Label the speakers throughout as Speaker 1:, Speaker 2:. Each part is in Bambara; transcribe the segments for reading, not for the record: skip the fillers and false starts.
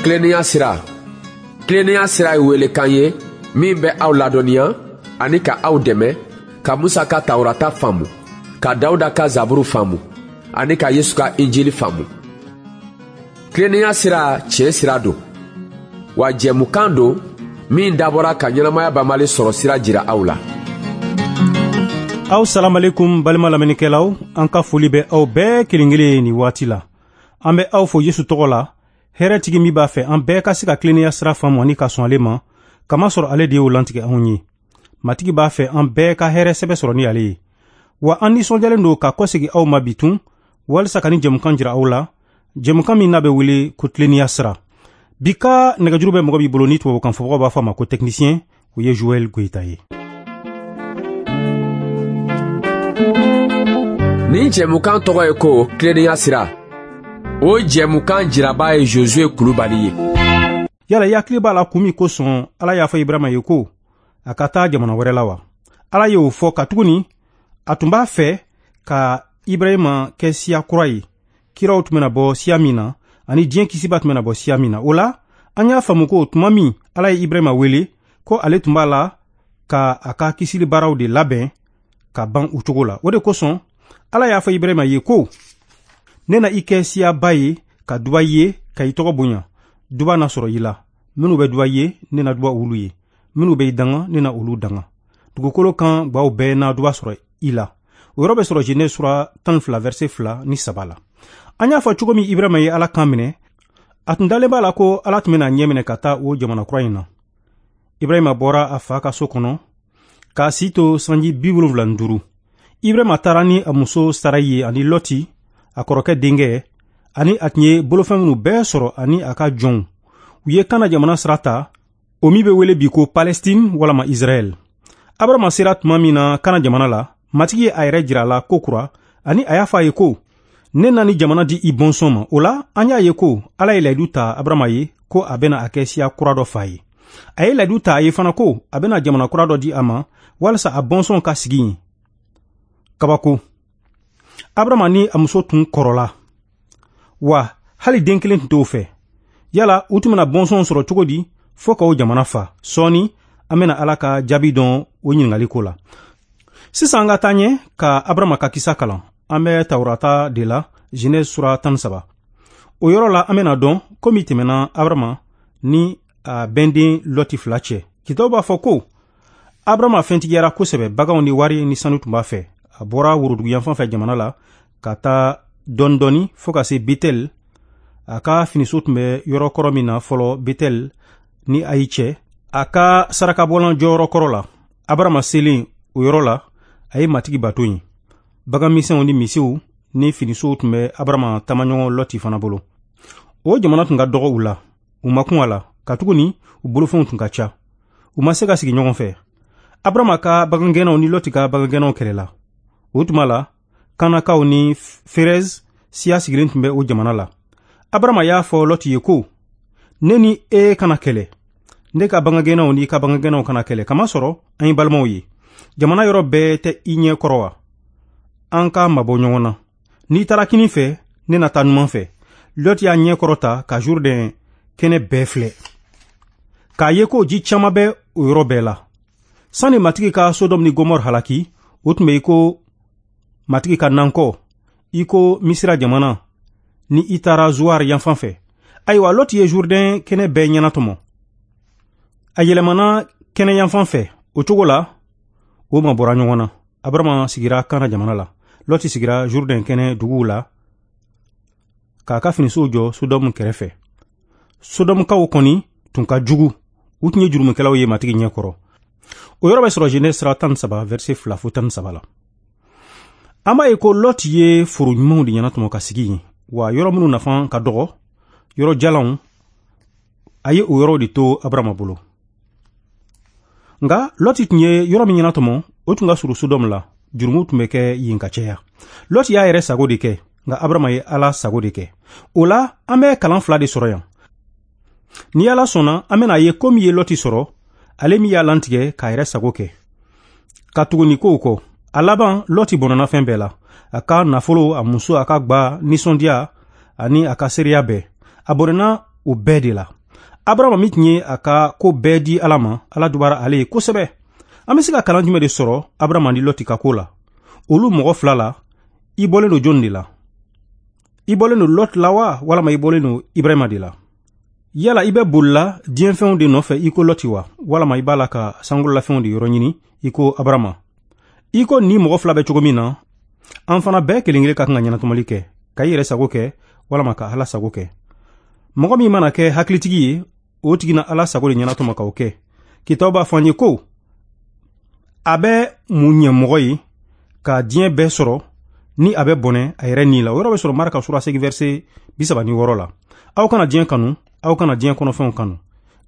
Speaker 1: Tilennenya sira. Tilennenya sira ye welekan ye min bɛ aw ladɔnniya ani ka aw dɛmɛ ka Musa ka Tawurata faamu, ka Dawuda ka Zaburu faamu ani ka Yesu ka Injili faamu. Tilennenya sira tiɲɛ sira don, wa jɛmukan don min dabɔra ka ɲɛnamaya banbali sɔrɔ sira jira aw la.
Speaker 2: Aw salamalekum balima lamɛnnikɛlaw, an ka foli bɛ aw bɛɛ kelen kelen nin waati la. An bɛ aw fo Yesu tɔgɔ la, hɛrɛtigi min b'a fɛ an bɛɛ ka se ka tilennenya sira faamu ani ka sɔn ale ma, kamasɔrɔ ale de y'o lantigɛ anw ye. Matigi b'a fɛ an bɛɛ ka hɛrɛ sɛbɛ sɔrɔ ni ale ye. Wa an nisɔndiyalen don ka kɔsegi aw ma bi tun, walisa ka ni jɛmukan jira aw la, jɛmukan min n'a bɛ wele ko tilennenya sira. Bi ka nɛgɛjuru bɛ mɔgɔ b'i bolo ni tubabukan fɔbagaw b'a fɔ a ma ko technicien, o ye Joël Goyita ye.
Speaker 1: Nin jɛmukan tɔgɔ ye ko tilennenya sira. O jɛmukan jiraba ye Josue Kulubali ye.
Speaker 2: Yala i hakili b'a la kun min kosɔn Ala y'a fɔ Ibrahima ye ko a ka taa jamana wɛrɛ la wa? Ala y'o fɔ katuguni a tun b'a fɛ ka Ibrahima kɛ siya kura ye, kiraw tun bɛna bɔ siya min na ani diɲɛ kisiba tun bɛna bɔ siya min na. O la, an y'a faamu ko tuma min Ala ye Ibrahima wele ko ale tun b'a la ka a ka kisili baaraw de labɛn ka ban o cogo la. O de kosɔn Ala y'a fɔ Ibrahima ye ko ne na i kɛ siyaba ye ka duba i ye ka i tɔgɔ bonya. Duba na sɔrɔ i la. Minnu bɛ duba i ye, ne na duba olu ye. Minnu bɛ i danga, ne na olu danga. Dugukolo kan gwaw bɛɛ na duba sɔrɔ i la. O yɔrɔ bɛ sɔrɔ Genèse sura 12 verset 2 ni 3 la. An y'a fɔ cogo min Ibrahima ye Ala kan minɛ, a tun dalen b'a la ko Ala tun bɛna ɲɛ minɛ ka taa o jamana kura in na. Ibrahima bɔra a fa ka so kɔnɔ k'a si to sanji 75. Ibrahima taara ni a muso Sarayi ye ani Lɔti, a kɔrɔkɛ denkɛ, ani a tun ye bolofɛn minnu bɛɛ sɔrɔ ani a ka jɔnw. U ye Kana jamana sira ta, o min bɛ wele bi ko Palestine walama Israɛl. Abrahama sera tuma min na Kana jamana la, Matigi ye a yɛrɛ jira a la ko kura, ani a y'a fɔ a ye ko ne na ni jamana di i bɔnsɔn ma. O la, an y'a ye ko Ala ye layidu ta Abrahama ye ko a bɛna a kɛ siya kura dɔ fa ye. A ye layidu ta a ye fana ko a bɛna jamana kura dɔ di a ma walasa a bɔnsɔn ka sigi yen. Kabako. Abrahama ni a muso tun kɔrɔla, wa hali den kelen tun t'o fɛ. Yala u tun bɛna bɔnsɔn sɔrɔ cogo di fo ka o jamana fa? Sɔɔni an bɛna Ala ka jaabi dɔn o ɲininkali ko la. Sisan an ka taa ɲɛ ka Abrahama ka kisa kalan. An bɛ Tawurata de la, Genèse sura 13. O yɔrɔ la an bɛna dɔn ko min tɛmɛna Abrahama ni a bɛnden Lɔti fila cɛ. Kitabu b'a fɔ ko Abrahama fɛntigiyara kosɛbɛ, baganw ni wari ni sanu tun b'a fɛ. A bɔra woroduguyanfan fɛ jamana la ka taa dɔɔni dɔɔni fo ka se Betel. A ka finiso tun bɛ yɔrɔ kɔrɔ min na fɔlɔ Betel ni Ayi cɛ, a ka sarakabɔlan jɔyɔrɔ kɔrɔ la. Abrahama selen o yɔrɔ la, a ye Matigi bato yen. Bagan misɛnw ni misiw ni finisow tun bɛ Abrahama taamaɲɔgɔn Lɔti fana bolo. O jamana tun ka dɔgɔ u la, u ma kun a la, katuguni u bolofɛnw tun ka ca. U ma se ka sigi ɲɔgɔn fɛ. Abrahama ka bagangɛnnaw ni Lɔti ka bagangɛnnaw kɛlɛla. O tuma la, Kanakaw ni Ferez siya sigilen tun bɛ o jamana la. Abrahama y'a fɔ Lɔti ye ko, ne ni e kana kɛlɛ, ne ka bagangɛnnaw ni i ka bagangɛnnaw kana kɛlɛ, kamasɔrɔ an ye balimaw ye. Jamana yɔrɔ bɛɛ tɛ i ɲɛ kɔrɔ wa? An ka mabɔ ɲɔgɔn na. N'i taara kinin fɛ, ne na taa numan fɛ. Lɔti y'a ɲɛ kɔrɔta ka Jourdain kɛnɛ bɛɛ filɛ, k'a ye ko ji caman bɛ o yɔrɔ bɛɛ la. Sani Matigi ka Sodɔmu ni Gomɔrɔ halaki, o tun bɛ i ko Matigi ka nankɔ, i ko Misira jamana ni i taara Zuwar yanfan fɛ. Ayiwa, Lɔti ye Jourdain kɛnɛ bɛɛ ɲɛnatɔmɔ. A yɛlɛmana kɛnɛ yanfan fɛ. O cogo la, o mabɔra ɲɔgɔn na. Abrahama sigira Kana jamana la. Lɔti sigira Jourdain kɛnɛ duguw la k'a ka finisow jɔ Sodɔmu kɛrɛfɛ. Sodɔmukaw kɔni tun ka jugu. U tun ye jurumukɛlaw ye Matigi ɲɛ kɔrɔ. O yɔrɔ bɛ sɔrɔ Genèse sura 13 verset 2 fo 13 la. An b'a ye ko Lɔti ye foro ɲumanw de ɲɛnatɔmɔ ka sigi yen, wa yɔrɔ minnu nafa ka dɔgɔ, yɔrɔ jalanw, a ye o yɔrɔw de to Abrahama bolo. Nka Lɔti tun ye yɔrɔ min ɲɛnatɔmɔ, o tun ka surun Sodɔmu la. Jurumu tun bɛ kɛ yen ka caya. Lɔti y'a yɛrɛ sago de kɛ, nka Abrahama ye Ala sago de kɛ. O la, an bɛ kalan fila de sɔrɔ yan. Ni Ala sɔnna, an bɛna ye ko min ye Lɔti sɔrɔ, ale min y'a lantigɛ k'a yɛrɛ sago kɛ. Ka tugu nin kow kɔ, a laban Lɔti bɔnɔna fɛn bɛɛ la. A ka nafolo, a muso, a ka gba, nisɔndiya ani a ka seereya bɛɛ. A bɔnɛna o bɛɛ de la. Abarama min tun ye a ka ko bɛɛ di Ala ma, Ala dubara ale ye kosɛbɛ. An bɛ se ka kalan jumɛn de sɔrɔ Abarama ni Lɔti ka ko la? Olu mɔgɔ fila la, i bɔlen don jɔni de la? I bɔlen don Lɔti la wa, walama i bɔlen don Ibrahima de la? Yala i bɛ bolila diɲɛfɛnw de nɔfɛ i ko Lɔti wa, walama i b'a la ka sankololafɛnw de yɔrɔ ɲini i ko Abarama? I ko ni mɔgɔ fila bɛ cogo min na, an fana bɛɛ kelen kelen ka kan ka ɲɛnatɔmɔli kɛ, ka i yɛrɛ sago kɛ walama ka Ala sago kɛ. Mɔgɔ min mana kɛ hakilitigi ye, o tigi na Ala sago de ɲɛnatɔmɔ k'o kɛ. Kitabu b'a fɔ an ye ko a bɛ mun ɲɛ mɔgɔ ye ka diɲɛ bɛɛ sɔrɔ ni a bɛ bɔnɛ a yɛrɛ ni la. O yɔrɔ bɛ sɔrɔ Marka sura 8 verset 36 la. Aw kana diɲɛ kanu, aw kana diɲɛ kɔnɔfɛnw kanu.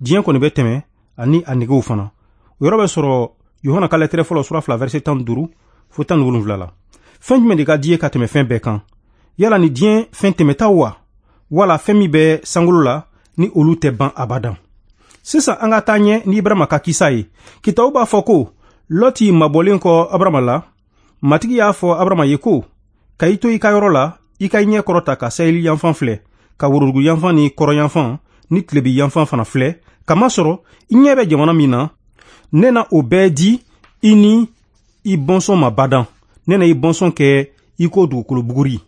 Speaker 2: Diɲɛ kɔni bɛ tɛmɛ ani a negew fana. O yɔrɔ bɛ sɔrɔ Yohana ka lɛtɛrɛ fɔlɔ sura 2 verset 15 fo 17 la. Fɛn jumɛn de ka di ye ka tɛmɛ fɛn bɛɛ kan? Yala ni diɲɛ fɛn tɛmɛtaw wa, wala fɛn min bɛ sankolo la ni olu tɛ ban abadan? Sisan an ka taa ɲɛ ni Ibrahima ka kisa ye. Kitabu b'a fɔ ko Lɔti mabɔlen kɔ Abarama la, Matigi y'a fɔ Abarama ye ko ka i to i ka yɔrɔ la, i ka i ɲɛ kɔrɔta ka saheli yanfan filɛ, ka worodugu yanfan ni kɔrɔ yanfan ni tilebi yanfan fana filɛ, kamasɔrɔ i ɲɛ bɛ jamana min na, ne na o bɛɛ di i ni i bɔnsɔn ma badan. Ne na i bɔnsɔn kɛ i ko dugukolo buguri.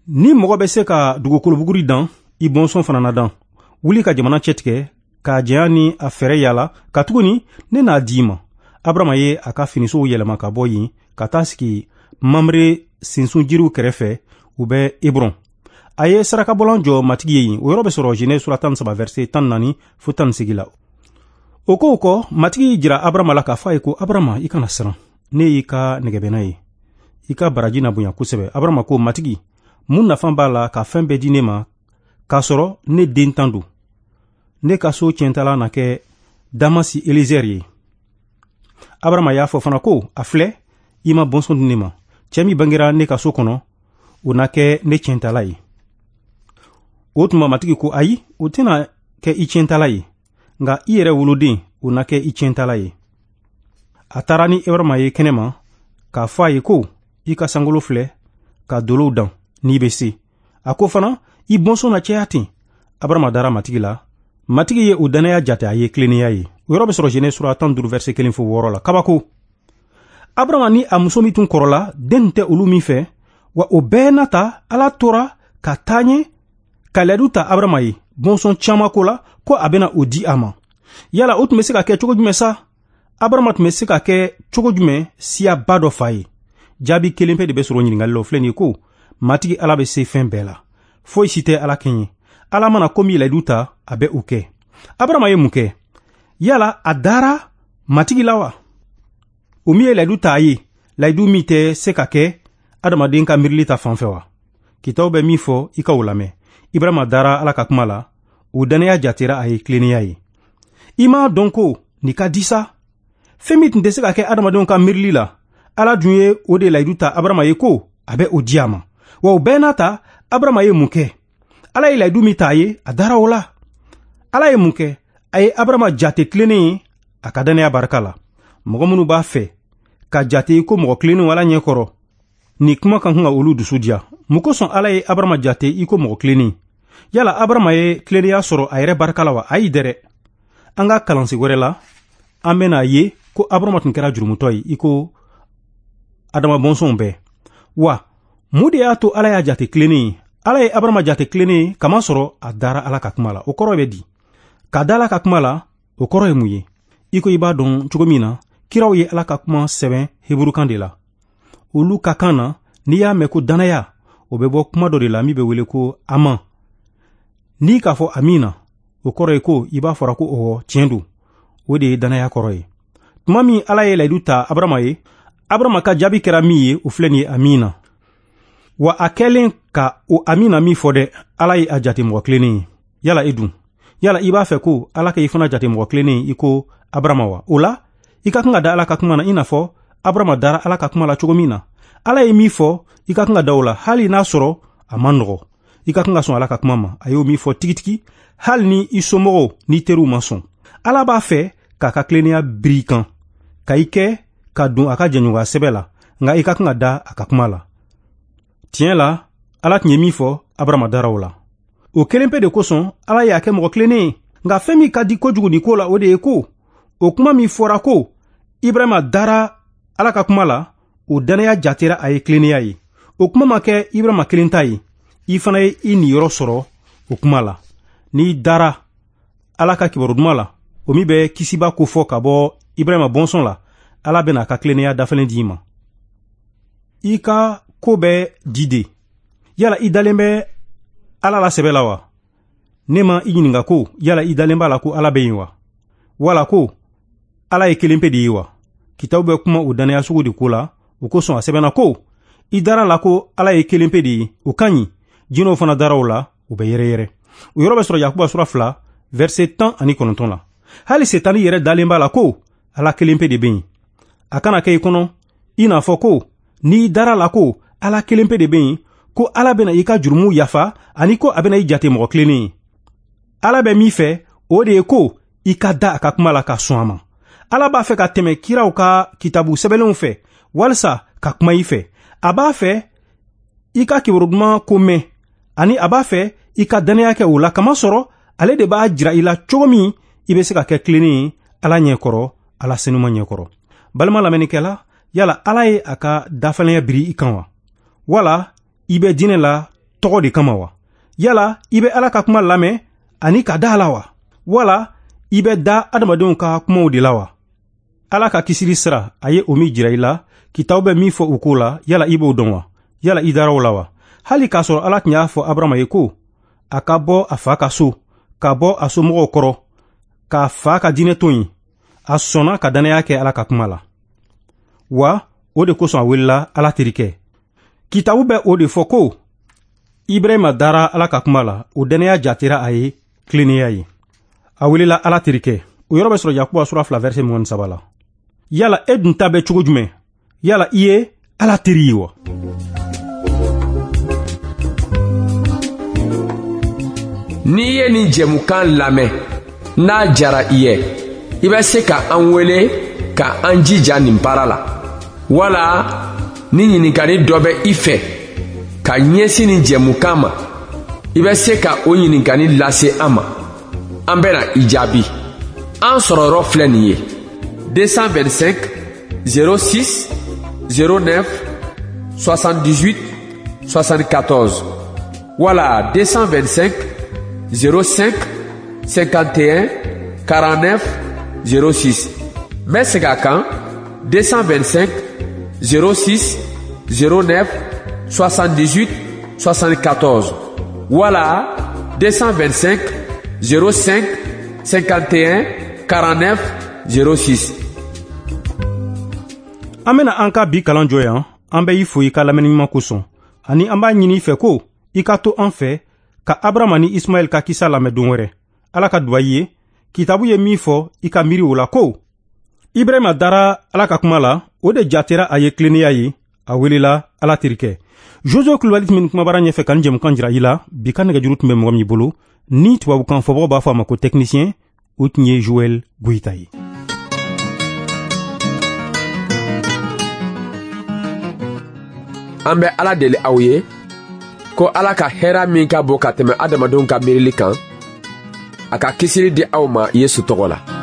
Speaker 2: Ni mɔgɔ bɛ se ka dugukolo buguri dan, i bɔnsɔn fana na dan. Wuli ka jamana cɛtigɛ k'a janya ni a fɛɛrɛ yala, katuguni ne n'a di i ma. Abarama ye a ka finisow yɛlɛma ka bɔ yen ka taa sigi Mamre sinsun jiriw kɛrɛfɛ, u bɛ Hebron. A ye sarakabɔlan jɔ Matigi ye yen. O yɔrɔ bɛ sɔrɔ Genèse sura 13 verset 14 fo 18 la. O kow kɔ, Matigi y'i jira Abarama la k'a fɔ a ye ko Abarama, i kana siran, ne y'i ka nɛgɛbɛnna ye, i ka baraji na bonya kosɛbɛ. Abarama ko, Matigi, mun nafa b'a la ka fɛn bɛɛ di ne ma k'a sɔrɔ ne den tan don? Ne ka so tiɲɛtala na kɛ Damasi Elizɛri ye. Abarama y'a fɔ fana ko, a filɛ, i ma bɔnsɔn di ne ma. Cɛ min bangera ne ka so kɔnɔ, o na kɛ ne tiɲɛtala ye. O tuma Matigi ko, ayi, o tɛna kɛ i tiɲɛtala ye, nka i yɛrɛ woloden, o na kɛ i tiɲɛtala ye. A taara ni Ibrahima ye kɛnɛma k'a fɔ a ye ko, i ka sankolo filɛ, ka dolow dan n'i bɛ se. A ko fana, i bɔnsɔn na caya ten. Abarama dara Matigi la. Matigi ye o dannaya jate a ye tilennenya ye. O yɔrɔ bɛ sɔrɔ Genèse sura 15 verset 1 fo 6 la. Kabako. Abarama ni a muso min tun kɔrɔla, den tɛ olu min fɛ, wa o bɛɛ n'a ta, Ala tora ka taa ɲɛ ka layidu ta Abarama ye bɔnsɔn caman ko la, ko a bɛna o di a ma. Yala o tun bɛ se ka kɛ cogo jumɛn sa? Abarama tun bɛ se ka kɛ cogo jumɛn siyaba dɔ fa ye? Jaabi kelen pe de bɛ sɔrɔ ɲininkali la, o filɛ nin ye ko Matigi Ala bɛ se fɛn bɛɛ la. Foyi si tɛ Ala kɛɲɛ. Ala mana ko min layidu ta, a bɛ o kɛ. Abarama ye mun kɛ? Yala a dara Matigi la wa? O min ye layidu ta a ye, layidu min tɛ se ka kɛ adamaden ka miirili ta fan fɛ wa? Kitabu bɛ min fɔ, i ka o lamɛn. Ibrahima dara Ala ka kuma la, o dannaya jatera a ye tilennenya ye. I m'a dɔn ko nin ka di sa? Fɛn min tun tɛ se ka kɛ adamadenw ka miirili la, Ala dun ye o de layidu ta Abarama ye ko a bɛ o di a ma. Wa o bɛɛ n'a ta, Abarama ye mun kɛ? Ala ye layidu min ta a ye, a dara o la. Ala ye mun kɛ? A ye Abarama jate tilennen ye a ka dannaya barika la. Mɔgɔ minnu b'a fɛ ka jate ko mɔgɔ tilennenw Ala ɲɛkɔrɔ, nin kuma ka kan ka olu dusu diya. Mun kosɔn Ala ye Abarama jate i ko mɔgɔ tilennen? Yala Abarama ye tilennenya sɔrɔ a yɛrɛ barika la wa? Ayi dɛrɛ. An ka kalansen wɛrɛ la, an bɛna ye ko Abarama tun kɛra jurumutɔ ye i ko Adama bɔnsɔnw bɛɛ. Wa mun de y'a to Ala y'a jate tilennen ye? Ala ye Abarama jate tilennen ye kamasɔrɔ a dara Ala ka kuma la. O kɔrɔ bɛ di? Ka da Ala ka kuma la, o kɔrɔ ye mun ye? I ko i b'a dɔn cogo min na, kiraw ye Ala ka kuma sɛbɛn heburukan de la. Olu ka kan na, n'i y'a mɛn ko dannaya, o bɛ bɔ kuma dɔ de la min bɛ wele ko aman. N'i k'a fɔ amina, o kɔrɔ ye ko i b'a fɔra ko ɔwɔ, tiɲɛ don. O de ye dannaya kɔrɔ ye. Tuma min Ala ye layidu ta Abarama ye, Abarama ka jaabi kɛra min ye, o filɛ nin ye amina. Wa a kɛlen ka o amina min fɔ dɛ, Ala ye a jate mɔgɔ tilennen ye. Yala e dun? Yala i b'a fɛ ko Ala ka i fana jate mɔgɔ tilennen ye i ko Abarama wa? O la, i ka kan ka da Ala ka kuma na i n'a fɔ Abarama dara Ala ka kuma la cogo min na. Ala ye min fɔ, i ka kan ka da o la, hali n'a sɔrɔ a man nɔgɔ. I ka kan ka sɔn Ala ka kuma ma. A y'o min fɔ tigitigi, hali ni i somɔgɔw n'i teriw ma sɔn. Ala b'a fɛ k'a ka tilennenya biri i kan, ka i kɛ ka don a ka jɛɲɔgɔnya sɛbɛ la, nka i ka kan ka da a ka kuma la. Tiɲɛ la, Ala tun ye min fɔ, Abarama dara o la. O kelen pe de kosɔn Ala y'a kɛ mɔgɔ tilennen ye. Nka fɛn min ka di kojugu nin ko la, o de ye ko o kuma min fɔra ko Ibrahima dara Ala ka kuma la, o dannaya jatera a ye tilennenya ye. O kuma ma kɛ Ibrahima kelen ta ye, i fana ye i niyɔrɔ sɔrɔ o kuma la. N'i dara Ala ka kibaru duman la, o min bɛ kisiba ko fɔ ka bɔ Ibrahima bɔnsɔn la, Ala bɛna a ka tilennenya dafalen di i ma. I ka ko bɛ di de. Yala i dalen bɛ Ala la sɛbɛ la wa? Ne ma i ɲininka ko yala i dalen b'a la ko Ala bɛ yen wa? Wala ko Ala ye kelen pe de ye wa? Kitabu bɛ kuma o dannaya sugu de ko la, o kosɔn a sɛbɛnna ko i dara la ko Ala ye kelen pe de ye, o ka ɲi. Jinɛw fana dara o la, u bɛ yɛrɛyɛrɛ. O yɔrɔ bɛ sɔrɔ Yakuba sura 2, verset 19 la. Hali Setani yɛrɛ dalen b'a la ko Ala kelen pe de bɛ yen. A kana kɛ i kɔnɔ i n'a fɔ ko n'i dara la ko Ala kelen pe de bɛ yen, ko Ala bɛna i ka jurumuw yafa ani ko a bɛna i jate mɔgɔ tilennen ye. Ala bɛ min fɛ, o de ye ko i ka da a ka kuma la ka sɔn a ma. Ala b'a fɛ ka tɛmɛ kiraw ka kitabu sɛbɛnlenw fɛ walisa ka kuma i fɛ. A b'a fɛ i ka kibaru duman ko mɛn, ani a b'a fɛ i ka dannaya kɛ o la, kamasɔrɔ ale de b'a jira i la cogo min i bɛ se ka kɛ tilennen ye Ala ɲɛkɔrɔ, Ala senuma ɲɛkɔrɔ. Balima lamɛnnikɛla, yala Ala ye a ka dafalenya biri i kan wa? Wala i bɛ diinɛ la tɔgɔ de kama wa? Yala i bɛ Ala ka kuma lamɛn ani ka da a la wa? Wala i bɛ da adamadenw ka kumaw de la wa? Ala ka kisili sira, a ye o min jira i la, kitabu bɛ min fɔ o ko la, yala i b'o dɔn wa? Yala i dara o la wa? Hali k'a sɔrɔ Ala tun y'a fɔ Abarahama ye ko a ka bɔ a fa ka so, ka bɔ a somɔgɔw kɔrɔ, k'a fa ka diinɛ to yen, a sɔnna ka dannaya kɛ Ala ka kuma la. Wa o de kosɔn a welela Ala terikɛ. Kitabu bɛ o de fɔ ko Ibrahima dara Ala ka kuma la, o dannaya jatera a ye tilennenya ye. A welela Ala terikɛ. O yɔrɔ bɛ sɔrɔ Yakuba sura 2 verset 23 la. Yala e dun ta bɛ cogo jumɛn? Yala i ye Ala teri ye wa?
Speaker 1: N'i ye nin jɛmukan lamɛn, n'a jara i ye, i bɛ se ka an wele ka an jija nin baara la. Wala ni ɲininkali dɔ bɛ i fɛ ka ɲɛsin nin jɛmukan ma, i bɛ se ka o ɲininkali lase an ma. An bɛna i jaabi. An sɔrɔ yɔrɔ filɛ nin ye: 225 06 09 78 74 wala 225 05 51 49 06. N bɛ segin a kan: 225 06 09 78 74 wala 225 05 51 49 06.
Speaker 2: An bena an ka bi kalan jɔ yan. An bɛ i fo i ka lamɛnni ɲuman kosɔn, ani an b'a ɲini i fɛ ko i ka to an fɛ ka Abrahama ni Ismaɛl ka kisa lamɛn don wɛrɛ. Ala ka duba i ye. Kitabu ye min fɔ, i ka miiri o la ko Ibrahima dara Ala ka kuma la, o de jatera a ye tilennenya ye, a welela Ala terikɛ. Josué Kulubali tun bɛ nin kumabara ɲɛfɛ ka nin jɛmukan jira i la. Bi ka nɛgɛjuru tun bɛ mɔgɔ min bolo, ni tubabukan fɔbagaw b'a fɔ a ma ko technicien, o tun ye Joël Goyita ye.
Speaker 1: An bɛ Ala deli aw ye ko Ala ka hɛrɛ min ka bon ka tɛmɛ adamadenw ka miirili kan, a ka kisili di aw ma Yesu tɔgɔ la.